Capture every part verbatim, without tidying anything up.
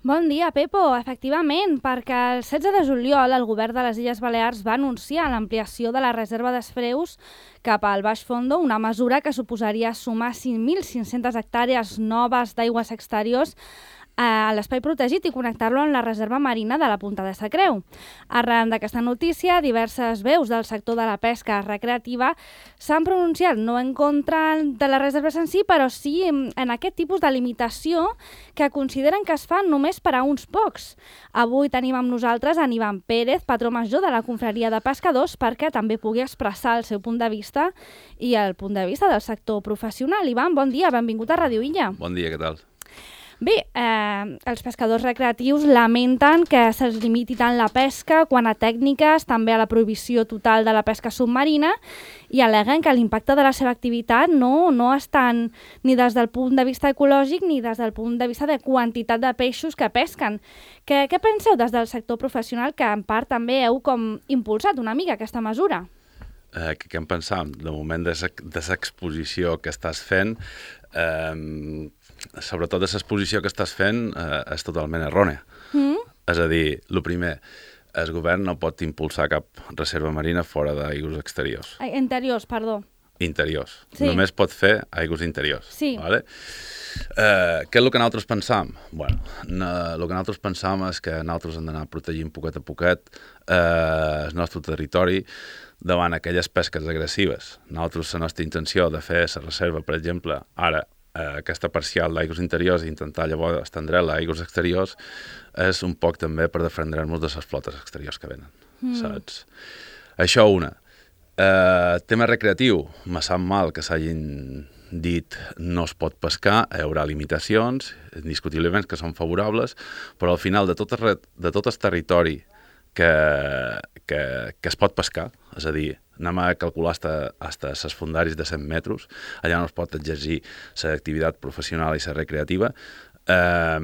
Bon dia, Pepo. Efectivament, perquè el setze de juliol el govern de les Illes Balears va anunciar l'ampliació de la reserva d'Esfreus cap al Baix Fondo, una mesura que suposaria sumar cinc mil cinc-centes hectàrees noves d'aigües exteriors a l'espai protegit i connectar-lo amb la reserva marina de la Punta de Sa Creu. Arran d'aquesta notícia, diverses veus del sector de la pesca recreativa s'han pronunciat no en contra de les reserves en si, però sí en aquest tipus de limitació que consideren que es fa només per a uns pocs. Avui tenim amb nosaltres en Ivan Pérez, patró major de la Confraria de Pescadors, perquè també pugui expressar el seu punt de vista i el punt de vista del sector professional. Ivan, bon dia, benvingut a Ràdio Illa. Bon dia, què tal? Bé, eh, els pescadors recreatius lamenten que se'ls limiti tant la pesca quant a tècniques, també a la prohibició total de la pesca submarina, i al·leguen que l'impacte de la seva activitat no, no és tant ni des del punt de vista ecològic ni des del punt de vista de quantitat de peixos que pesquen. Què, què penseu des del sector professional, que en part també heu com impulsat una mica aquesta mesura? Eh, què, què en pensam? De moment de l'exposició que estàs fent, eh, sobretot de l'exposició que estàs fent, eh, és totalment errònia. Mm. És a dir, el primer, el govern no pot impulsar cap reserva marina fora d'aigües exteriors. Interiors, perdó. Interiors. Sí. Només pot fer aigües interiors. Sí. Vale? Eh, què és el que nosaltres pensam? Bueno, no, el que nosaltres pensam és que nosaltres hem d'anar protegint poquet a poquet eh, el nostre territori davant aquelles pesques agressives. Nosaltres, la nostra intenció de fer la reserva, per exemple, ara, eh, aquesta parcial d'aigües interiors i intentar llavors estendre-la a aigües exteriors, és un poc també per defendre-nos de les flotes exteriors que venen, mm. saps? Això una. Eh, tema recreatiu, me sap mal que s'hagin dit no es pot pescar, hi haurà limitacions, indiscutiblement que són favorables, però al final de tot el, de tot el territori que, que, que es pot pescar, és a dir, anem a calcular fins als fundaris de cent metres, allà no es pot exercir l'activitat professional i la recreativa, eh,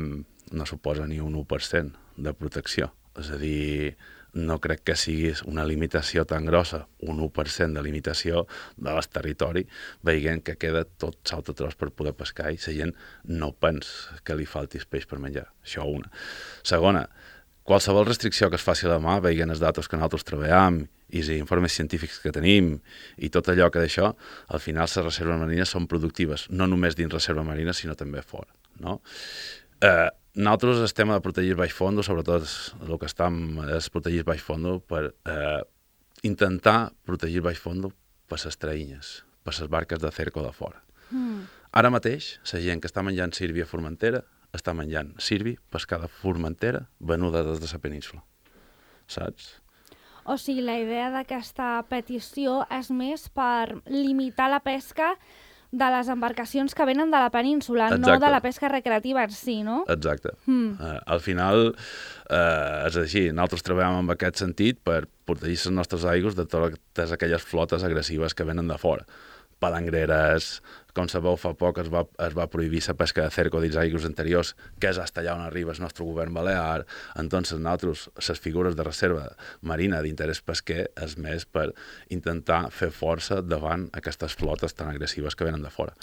no suposa ni un u per cent de protecció. És a dir, no crec que sigui una limitació tan grossa, un u per cent de limitació de l'est territori, veient que queda tot salta tros per poder pescar i la gent no pensa que li falti peix per menjar. Això una. Segona, qualsevol restricció que es faci a la mà, veient els datos que nosaltres treballem i els informes científics que tenim i tot allò que d'això, al final les reserves marines són productives, no només dins reserva marina, sinó també fora. No? Eh, nosaltres estem a protegir baix fondo, sobretot el que estem és protegir baix fondo per eh, intentar protegir baix fondo per les traïnyes, per les barques de cerco de fora. Mm. Ara mateix, la gent que està menjant sirvi a Formentera està menjant sirvi pescada a Formentera venuda des de la península. Saps? O sigui, la idea d'aquesta petició és més per limitar la pesca de les embarcacions que venen de la península, exacte, no de la pesca recreativa en si, no? Exacte. Mm. Uh, al final, uh, és així, nosaltres treballem en aquest sentit per protegir les nostres aigües de totes aquelles flotes agressives que venen de fora. Palangreres, com sabeu, fa poc es va, es va prohibir la pesca de cerco dins aigües anteriors, que és fins allà on arriba el nostre govern balear. Entonces, nosaltres, les figures de reserva marina d'interès pesquer és més per intentar fer força davant aquestes flotes tan agressives que venen de fora.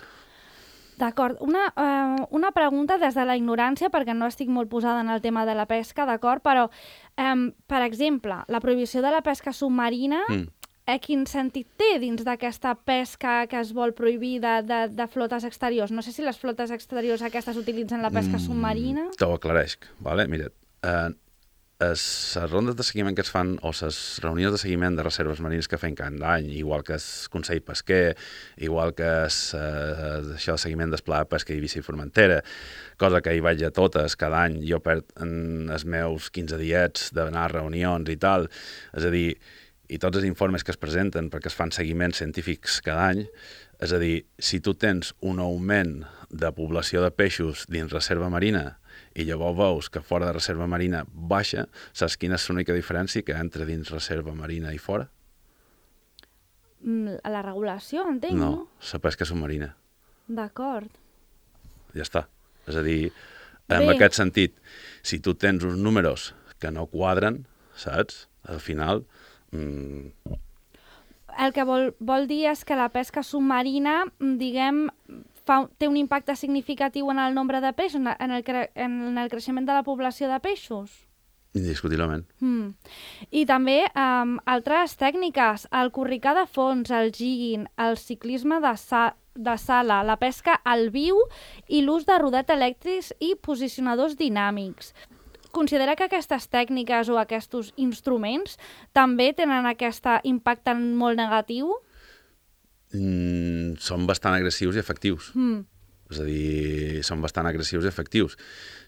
D'acord. Una, uh, una pregunta des de la ignorància, perquè no estic molt posada en el tema de la pesca, d'acord? Però, um, per exemple, la prohibició de la pesca submarina, mm. eh, quin sentit té dins d'aquesta pesca que es vol prohibir de, de, de flotes exteriors? No sé si les flotes exteriors aquestes utilitzen la pesca mm, submarina. T'ho aclareixc, vale? Mira, eh, les rondes de seguiment que es fan, o les reunions de seguiment de reserves marines que fem cada any, igual que el Consell Pesquer, igual que es, eh, això de seguiment d'Esplà de Pesca i Eivissa i Formentera, cosa que hi vaig a totes cada any, jo perd en els meus quinze diets d'anar a reunions i tal, és a dir, i tots els informes que es presenten perquè es fan seguiments científics cada any, és a dir, si tu tens un augment de població de peixos dins reserva marina i llavors veus que fora de reserva marina baixa, saps quina és l'única diferència que entre dins reserva marina i fora? Mm, la regulació, entenc, no? No, la pesca submarina. D'acord. Ja està. És a dir, en Bé. aquest sentit, si tu tens uns números que no quadren, saps? Al final... Mm... El que vol, vol dir és que la pesca submarina, diguem, fa, té un impacte significatiu en el nombre de peixos, en el, cre en el creixement de la població de peixos? Indiscutiblement. Mm. I també um, altres tècniques, el corricar de fons, el jigging, el ciclisme de, sa de sala, la pesca al viu i l'ús de rodets elèctrics i posicionadors dinàmics. Considera que aquestes tècniques o aquests instruments també tenen aquest impacte molt negatiu? Mm, són bastant agressius i efectius. Mm. És a dir, són bastant agressius i efectius.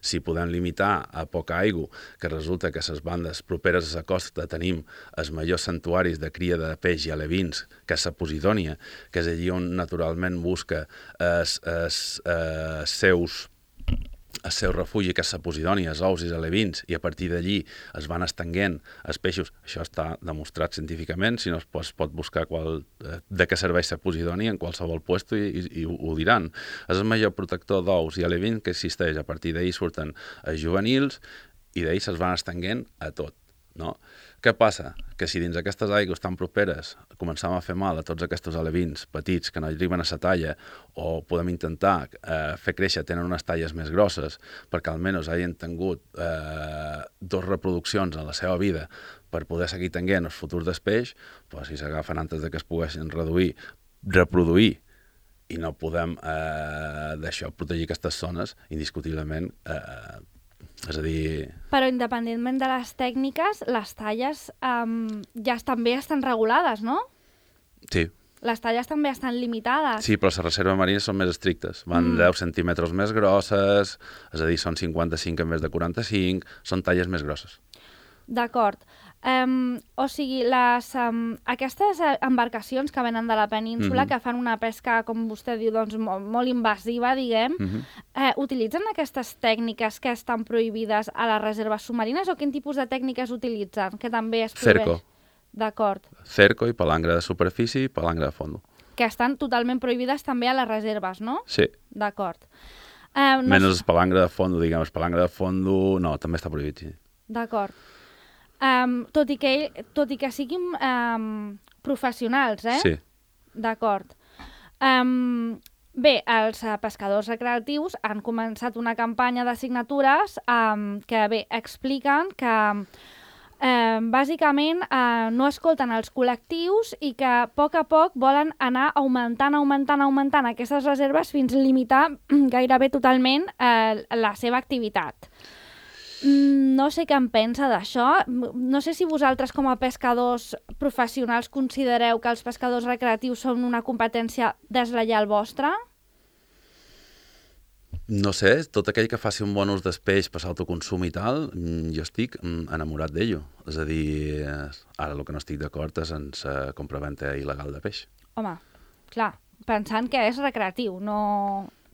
Si podem limitar a poca aigua, que resulta que a les bandes properes a la costa tenim els majors santuaris de cria de peix i alevins, que és la Posidònia, que és allí on naturalment busca els, els, els seus el seu refugi, que és la Posidònia, els ous i els alevins, i a partir d'allí es van estenguent els peixos. Això està demostrat científicament, si no es pot, es pot buscar qual, de què serveix la Posidònia en qualsevol puesto i, i, i ho diran. És el major protector d'ous i alevins que existeix. A partir d'ahir surten els juvenils i d'ahir se'ls van estenguent a tot. No? Què passa? Que si dins aquestes aigües tan properes començam a fer mal a tots aquests alevins petits que no arriben a la talla, o podem intentar eh, fer créixer, tenen unes talles més grosses perquè almenys hagin tingut eh, dos reproduccions en la seva vida per poder seguir tenint el futur del peix, pues, si s'agafen antes de que es poguessin reduir, reproduir, i no podem eh, d'això protegir aquestes zones, indiscutiblement eh, és a dir... Però independentment de les tècniques, les talles um, ja també estan regulades, no? Sí. Les talles també estan limitades. Sí, però les reserves marines són més estrictes. Van mm. deu centímetres més grosses, és a dir, són cinquanta-cinc en vez de quaranta-cinc, són talles més grosses. D'acord. Um, o sigui, les, um, aquestes embarcacions que venen de la península, mm-hmm. que fan una pesca, com vostè diu, doncs, molt, molt invasiva, diguem, mm-hmm. eh, utilitzen aquestes tècniques que estan prohibides a les reserves submarines o quin tipus de tècniques utilitzen? Que també es prohibeix? Cerco. D'acord. Cerco i palangre de superfície i palangre de fondo. Que estan totalment prohibides també a les reserves, no? Sí. D'acord. Eh, no Menys el palangre de fondo, diguem, el palangre de fondo, no, també està prohibit, sí. D'acord. Um, tot, i que, tot i que siguin um, professionals, eh? Sí. D'acord. Um, bé, els uh, pescadors recreatius han començat una campanya de signatures um, que, bé, expliquen que uh, bàsicament uh, no escolten els col·lectius i que a poc a poc volen anar augmentant, augmentant, augmentant aquestes reserves fins a limitar gairebé totalment uh, la seva activitat. No sé què en pensa d'això. No sé si vosaltres, com a pescadors professionals, considereu que els pescadors recreatius són una competència deslleial vostra? No sé, tot aquell que faci un bon ús del peix per l'autoconsum i tal, jo estic enamorat d'ell. És a dir, ara el que no estic d'acord és en la compraventa il·legal de peix. Home, clar, pensant que és recreatiu, no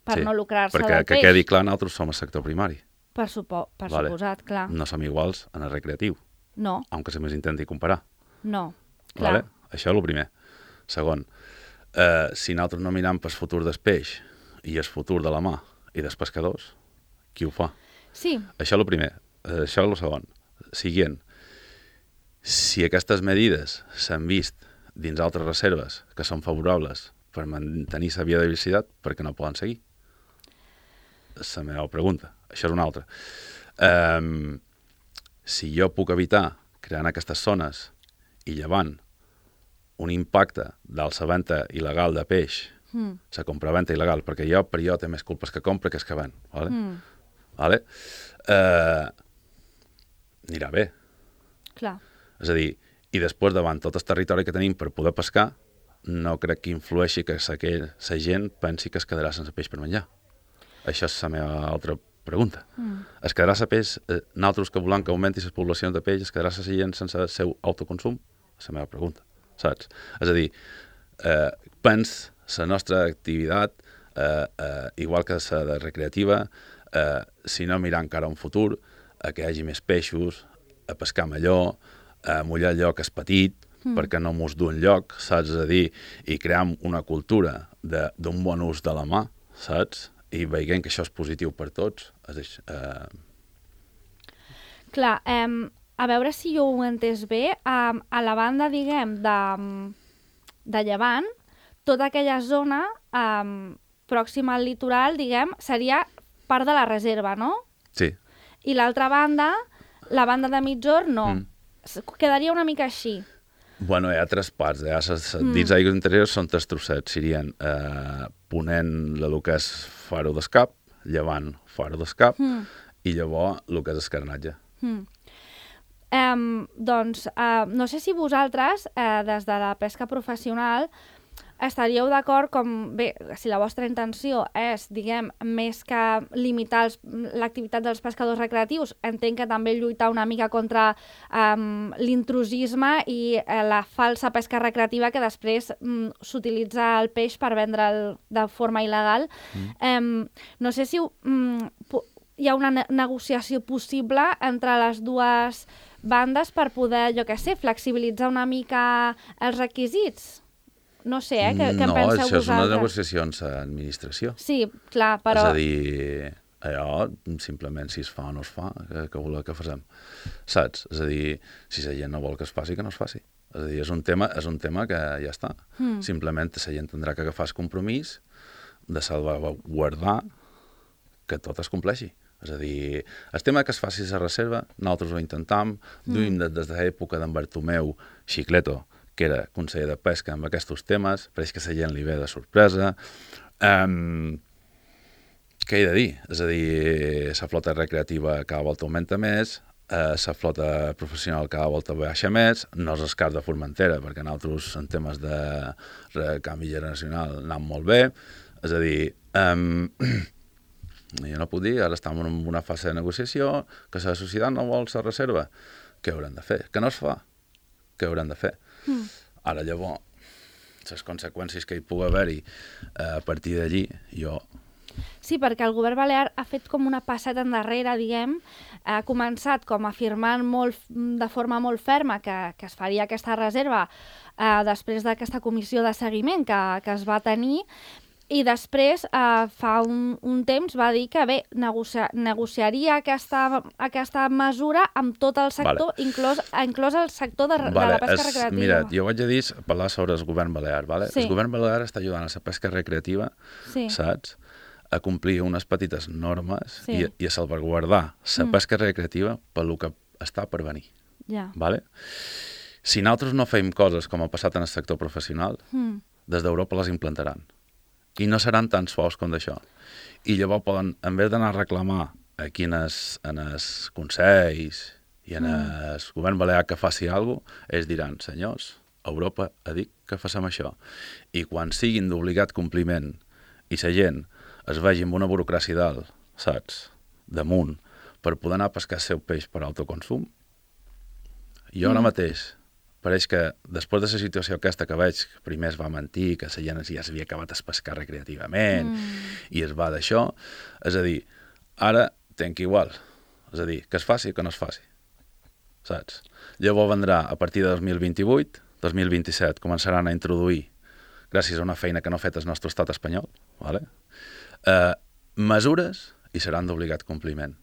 per sí, no lucrar-se del perquè peix. que quedi clar, nosaltres som el sector primari. Per, supo per vale. suposat, clar. No som iguals en el recreatiu. No. Aunque se m'intenti comparar. No, clar. Vale? Això és el primer. Segon, eh, si nosaltres no miram pel futur del peix i el futur de la mà i dels pescadors, qui ho fa? Sí. Això és el primer. Eh, això és el segon. Siguient, si aquestes medides s'han vist dins altres reserves que són favorables per mantenir la biodiversitat, per què no poden seguir? És la meva pregunta. Això és una altra. Um, si jo puc evitar creant aquestes zones i llevant un impacte d'alça-venta il·legal de peix, mm. la compraventa il·legal, perquè jo per jo té més culpes que compra que és que ven. Vale? Mm. Vale? Uh, anirà bé. Clar. És a dir, i després davant tot el territori que tenim per poder pescar, no crec que influeixi que la gent pensi que es quedarà sense peix per menjar. Això és la meva altra pregunta. Mm. Es quedarà la peix, eh, nosaltres que volem que augmenti les poblacions de peix, es quedarà la gent sense el seu autoconsum? És la meva pregunta, saps? És a dir, eh, pens la nostra activitat, eh, eh, igual que la recreativa, eh, si no mirar encara un futur, a que hi hagi més peixos, a pescar millor, a mullar allò que és petit, mm. perquè no mos du enlloc, saps? És a dir, i cream una cultura d'un bon ús de la mà, saps? I veient que això és positiu per tots. És, eh... Clar, eh, a veure si jo ho he entès bé, eh, a la banda, diguem, de, de Llevant, tota aquella zona, eh, pròxima al litoral, diguem, seria part de la reserva, no? Sí. I l'altra banda, la banda de Migjorn, no. Mm. Quedaria una mica així. Bueno, hi ha tres parts. Eh? Mm. Dins d'aigües interiors són tres trossets. Serien eh, ponent el que és Faro d'Escap, llevant Faro d'Escap, Mm. i llavors el que és Escarnatge. Mm. Um, doncs, uh, no sé si vosaltres, uh, des de la pesca professional, estaríeu d'acord com, bé, si la vostra intenció és, diguem, més que limitar els, l'activitat dels pescadors recreatius, entenc que també lluitar una mica contra um, l'intrusisme i uh, la falsa pesca recreativa que després um, s'utilitza el peix per vendre'l de forma il·legal. Mm. Um, no sé si um, hi ha una ne- negociació possible entre les dues bandes per poder, jo què sé, flexibilitzar una mica els requisits. No sé, eh? Què, què en no, penseu això és una vosaltres? negociació amb l'administració. Sí, clar, però... És a dir, allò, simplement si es fa o no es fa, que, que voleu que facem. Saps? És a dir, si la gent no vol que es faci, que no es faci. És a dir, és un tema, és un tema que ja està. Mm. Simplement la gent tindrà que agafar el compromís de salvaguardar que tot es compleixi. És a dir, el tema que es faci la reserva, nosaltres ho intentam, mm. duim des, des de l'època d'en Bartomeu Xicleto, que era conseller de pesca amb aquests temes, pareix que la gent li ve de sorpresa. Um, què he de dir? És a dir, la flota recreativa cada volta augmenta més, la uh, flota professional cada volta baixa més, no és el cas de Formentera, perquè nosaltres en temes de, de canvi generacional anem molt bé, és a dir, um, jo no puc dir, ara estem en una fase de negociació, que la societat no vol la reserva. Què haurem de fer? Que no es fa? Què haurem de fer? Mm. Ara llavors, les conseqüències que hi pugui haver-hi eh, a partir d'allí, jo... Sí, perquè el govern balear ha fet com una passada endarrere, diguem, ha començat com afirmant molt, de forma molt ferma que, que es faria aquesta reserva eh, després d'aquesta comissió de seguiment que, que es va tenir. I després, eh, fa un, un temps, va dir que bé, negocia, negociaria aquesta, aquesta mesura amb tot el sector, vale. inclòs, inclòs el sector de, vale. de la pesca es, recreativa. Mira, jo vaig a dir, parlar sobre el govern balear. Vale? Sí. El govern balear està ajudant a la pesca recreativa, sí. saps? A complir unes petites normes sí. i, i a salvaguardar la mm. pesca recreativa pel que està per venir. Ja. Vale? Si nosaltres no fem coses com ha passat en el sector professional, mm. des d'Europa les implantaran. I no seran tan suaus com d'això. I llavors poden, en vez d'anar a reclamar aquí en els, en els consells i en mm. el govern balear que faci alguna cosa, ells diran, senyors, Europa ha dit que facem això. I quan siguin d'obligat compliment i la gent es vegi amb una burocràcia dalt, saps, damunt, per poder anar a pescar el seu peix per autoconsum, jo mm. ara mateix pareix que després de la situació aquesta que veig, que primer es va mentir, que la gent ja s'havia acabat de pescar recreativament mm. i es va d'això, és a dir, ara tenc igual, és a dir, que es faci o que no es faci, saps? Llavors vendrà a partir de dos mil vint-i-vuit, dos mil vint-i-set, començaran a introduir, gràcies a una feina que no ha fet el nostre estat espanyol, vale? eh, mesures i seran d'obligat compliment.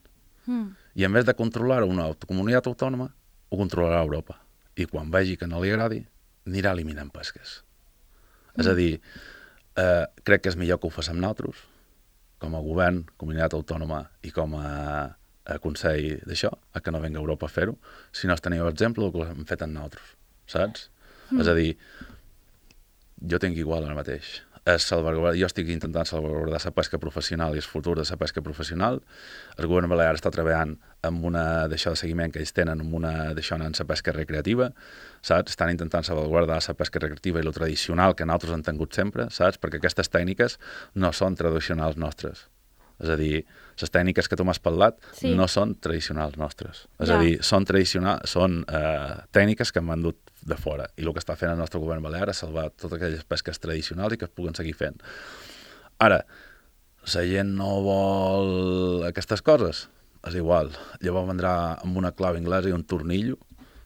Mm. I en vez de controlar una comunitat autònoma, ho controlarà Europa. I quan vegi que no li agradi, anirà eliminant pesques. Mm. És a dir, eh, crec que és millor que ho facem nosaltres, com a govern, comunitat autònoma i com a, a Consell d'això, a que no venga Europa a fer-ho, si no es teniu exemple del que hem fet en nosaltres, saps? Mm. És a dir, jo tinc igual ara mateix. Jo estic intentant salvaguardar la pesca professional i el futur de la pesca professional. El govern balear està treballant amb una d'això de seguiment que ells tenen, amb una d'això en la pesca recreativa, saps? Estan intentant salvaguardar la pesca recreativa i lo tradicional que nosaltres hem tingut sempre, saps? Perquè aquestes tècniques no són tradicionals nostres. És a dir, les tècniques que tu m'has parlat sí. no són tradicionals nostres. És ja. a dir, són, són eh, tècniques que hem vendut de fora. I el que està fent el nostre govern balear és salvar totes aquelles pesques tradicionals i que es puguen seguir fent. Ara, la gent no vol aquestes coses? És igual. Llavors vendrà amb una clau anglesa i un tornillo,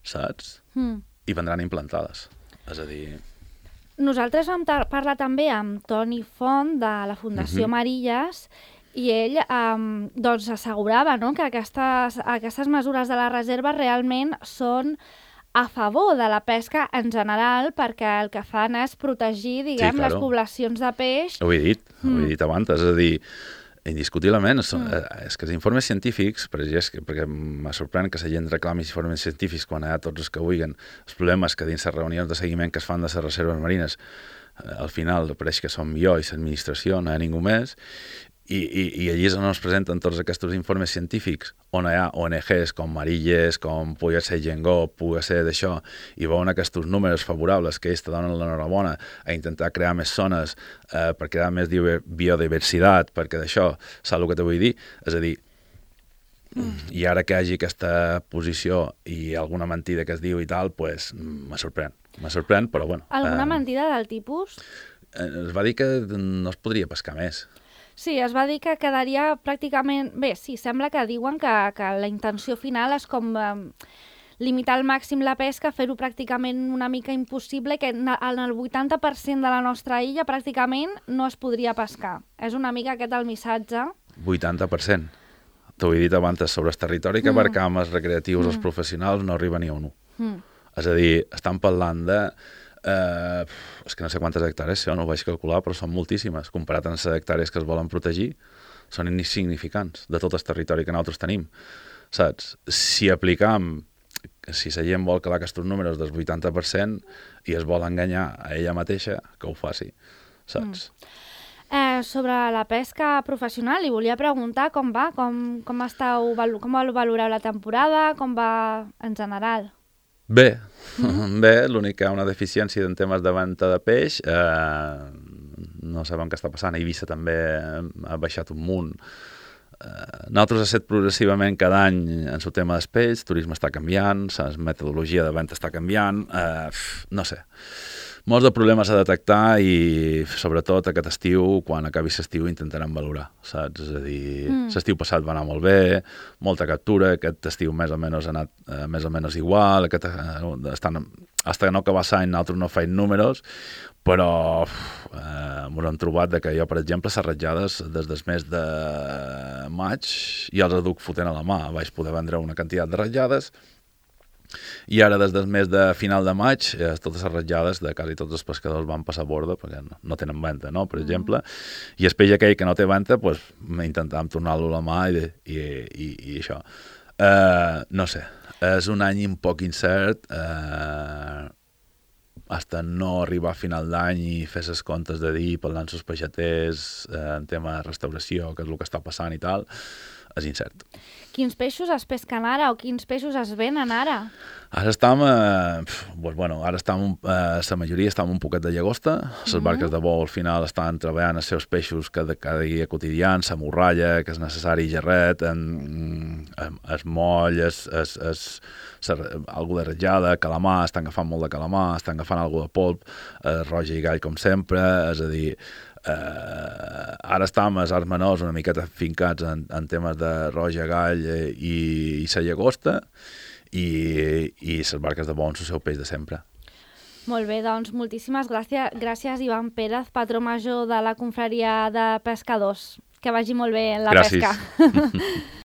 saps? Mm. I vendran implantades. És a dir... Nosaltres vam parlar també amb Toni Font de la Fundació mm-hmm. Marilles i ell um, doncs assegurava no, que aquestes, aquestes mesures de la reserva realment són a favor de la pesca en general, perquè el que fan és protegir, diguem, Sí, claro. les poblacions de peix. Ho he dit, mm. ho he dit abans, és a dir, indiscutiblement, és, Mm. és que els informes científics, per exemple, perquè me sorprèn que la gent reclami informes científics quan hi ha tots els que vulguin. El problema és que dins les reunions de seguiment que es fan de les reserves marines, eh, al final pareix que som jo i l'administració, no hi ha ningú més, i, i, i allí és on es presenten tots aquests informes científics, on hi ha O N Gs com Marilles, com pugui ser Gengó, pugui ser d'això, i veuen aquests números favorables que ells te donen l'enhorabona a intentar crear més zones eh, per crear més biodiversitat, perquè d'això, saps el que te vull dir? És a dir, mm. i ara que hi hagi aquesta posició i alguna mentida que es diu i tal, pues, me sorprèn. Me sorprèn, però bueno. Alguna eh, mentida del tipus? Eh, es va dir que no es podria pescar més. Sí, es va dir que quedaria pràcticament... Bé, sí, sembla que diuen que, que la intenció final és com eh, limitar al màxim la pesca, fer-ho pràcticament una mica impossible, que en el vuitanta per cent de la nostra illa pràcticament no es podria pescar. És una mica aquest el missatge. vuitanta per cent. T'ho he dit abans, sobre el territori que abarcam mm. els recreatius, mm. els professionals, no arriba ni a un. Mm. És a dir, estan parlant de... Eh, és que no sé quantes hectàrees són, no ho vaig calcular, però són moltíssimes. Comparat amb les hectàrees que es volen protegir, són insignificants de tot el territori que nosaltres tenim. Saps? Si aplicam, si la gent vol calar aquests números del vuitanta per cent i es vol enganyar a ella mateixa, que ho faci. Saps? Mm. Eh, sobre la pesca professional, li volia preguntar com va, com, com, estàu, com valoreu la temporada, com va en general. Bé, mm. bé, l'únic que hi ha una deficiència en temes de venda de peix, eh, no sabem què està passant, a Eivissa també ha baixat un munt. Eh, nosaltres ha set progressivament cada any en el tema dels peix, el turisme està canviant, la metodologia de venda està canviant, eh, no sé. Molts de problemes a detectar i, sobretot, aquest estiu, quan acabi l'estiu, intentarem valorar, saps? És a dir, mm. l'estiu passat va anar molt bé, molta captura, aquest estiu més o menys ha anat eh, més o menys igual, aquest, eh, estan, hasta que no acaba l'any nosaltres no feim números, però eh, m'ho hem trobat de que jo, per exemple, les ratllades des del mes de maig ja els duc fotent a la mà, vaig poder vendre una quantitat de ratllades. I ara, des del mes de final de maig, eh, totes les ratllades de quasi tots els pescadors van passar a borda perquè no, no tenen venta, no? Per exemple. Mm. I el peix aquell que no té venta, pues, intentàvem tornar-lo a la mà i, i, i, i això. Eh, no sé, és un any un poc incert, eh, hasta no arribar a final d'any i fer ses comptes de dir, parlant amb els peixaters, eh, en tema de restauració, que és el que està passant i tal, és incert. Quins peixos es pesquen ara o quins peixos es venen ara? Ara estem, eh, pues, bueno, ara estem, eh, la majoria estem un poquet de llagosta, les mm-hmm. barques de bou al final estan treballant els seus peixos cada, cada dia quotidians, la morralla, que és necessari, gerret, en, en, es moll, es, es, es, es, algú de ratllada, calamar, estan agafant molt de calamar, estan agafant algú de polp, eh, roja i gall com sempre, és a dir, Uh, ara estem als arts menors una miqueta fincats en, en temes de roja, gall eh, i, i la llagosta i, i les barques de bou, el seu peix de sempre. Molt bé, doncs moltíssimes gràcies, gràcies Ivan Pérez, patró major de la confraria de pescadors. Que vagi molt bé la gràcies. pesca.